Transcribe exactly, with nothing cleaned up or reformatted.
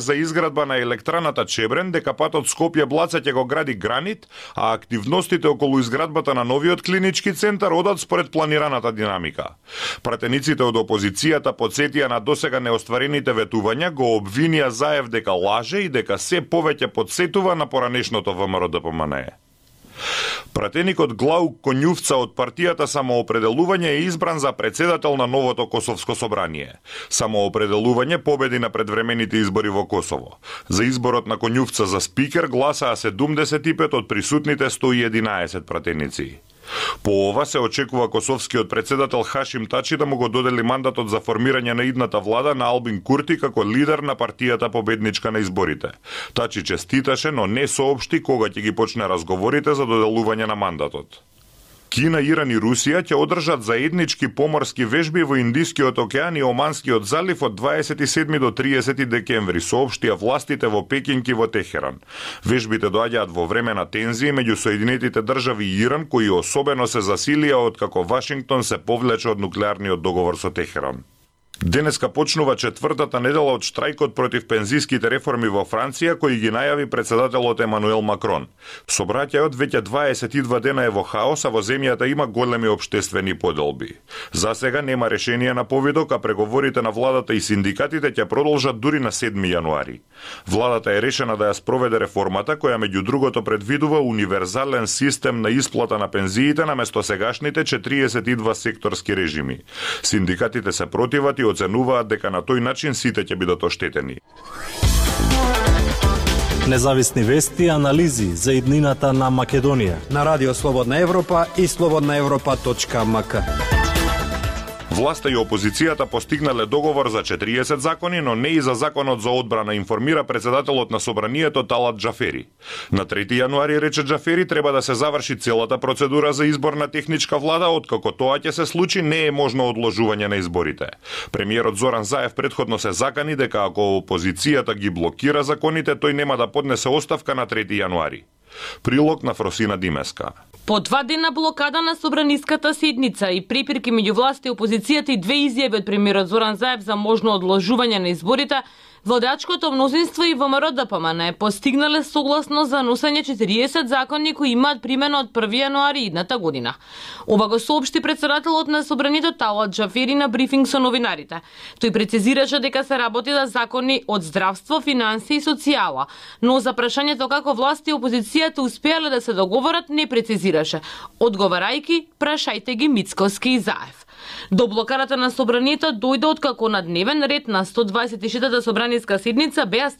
за изградба на електраната Чебрен, дека патот Скопје-Блаца ќе го гради Гранит, а активностите околу изградбата на новиот клинички центар одат според планираната динамика. Пратениците од опозицијата подсетија на досега неостварените ветувања, го обвинија Заев дека лаже и дека се повеќе подсетува на поранешното ВМРО-ДПМНЕ. Пратеникот Глаук Конјувца од партијата Самоопределување е избран за председател на новото Косовско собрание. Самоопределување победи на предвремените избори во Косово. За изборот на Конјувца за спикер гласаа седумдесет и пет од присутните сто и единаесет пратеници. По ова се очекува косовскиот председател Хашим Тачи да му го додели мандатот за формирање на идната влада на Албин Курти како лидер на партијата победничка на изборите. Тачи честиташе, но не соопшти кога ќе ги почне разговорите за доделување на мандатот. Кина, Иран и Русија ќе одржат заеднички поморски вежби во Индискиот океан и Оманскиот залив од дваесет и седми до триесети декември, соопштија властите во Пекинг и во Техеран. Вежбите доаѓаат во време на тензии меѓу Соединетите држави и Иран, кои особено се засилија откако Вашингтон се повлече од нуклеарниот договор со Техеран. Денеска почнува четвртата недела од штрајкот против пензиските реформи во Франција, кои ги најави председателот Емануел Макрон. Собраќајот веќе дваесет и два дена е во хаос, а во земјата има големи општествени поделби. За сега нема решение на повидок, а преговорите на владата и синдикатите ќе продолжат дури на седми јануари. Владата е решена да ја спроведе реформата, која меѓу другото предвидува универзален систем на исплата на пензиите наместо сегашните четириесет и два секторски режими. Синдикатите се противат и оценуваат дека на тој начин сите ќе бидат оштетени. Независни вести и анализи за иднината на Македонија на Радио Слободна Европа и слободна европа точка ем ка. Власта и опозицијата постигнале договор за четириесет закони, но не и за законот за одбрана, информира председателот на собранието Талат Џафери. На трети јануари, рече Џафери, треба да се заврши целата процедура за избор на техничка влада, откако тоа ќе се случи, не е можно одложување на изборите. Премиерот Зоран Заев предходно се закани дека ако опозицијата ги блокира законите, тој нема да поднесе оставка на трети јануари. Прилог на Фросина Димеска. По два дена блокада на собраниската седница и препирки меѓу власта и опозицијата и две изјави од премиерот Зоран Заев за можно одложување на изборите, владачкото мнозинство и ВМРО-ДПМНЕ постигнале согласно за носење четириесет закони кои имаат примена од први јануари идната година. Ова го соопшти председателот на собранието Талат Џафери на брифинг со новинарите. Тој прецизираше дека се работи за закони од здравство, финанси и социјала, но за прашањето како власти и опозицијата успеале да се договорат не прецизираше, одговарајќи прашајте ги Мицкоски и Заев. До блокарата на собранието дојде откако на дневен ред на сто дваесет и шестата собраниска седница беа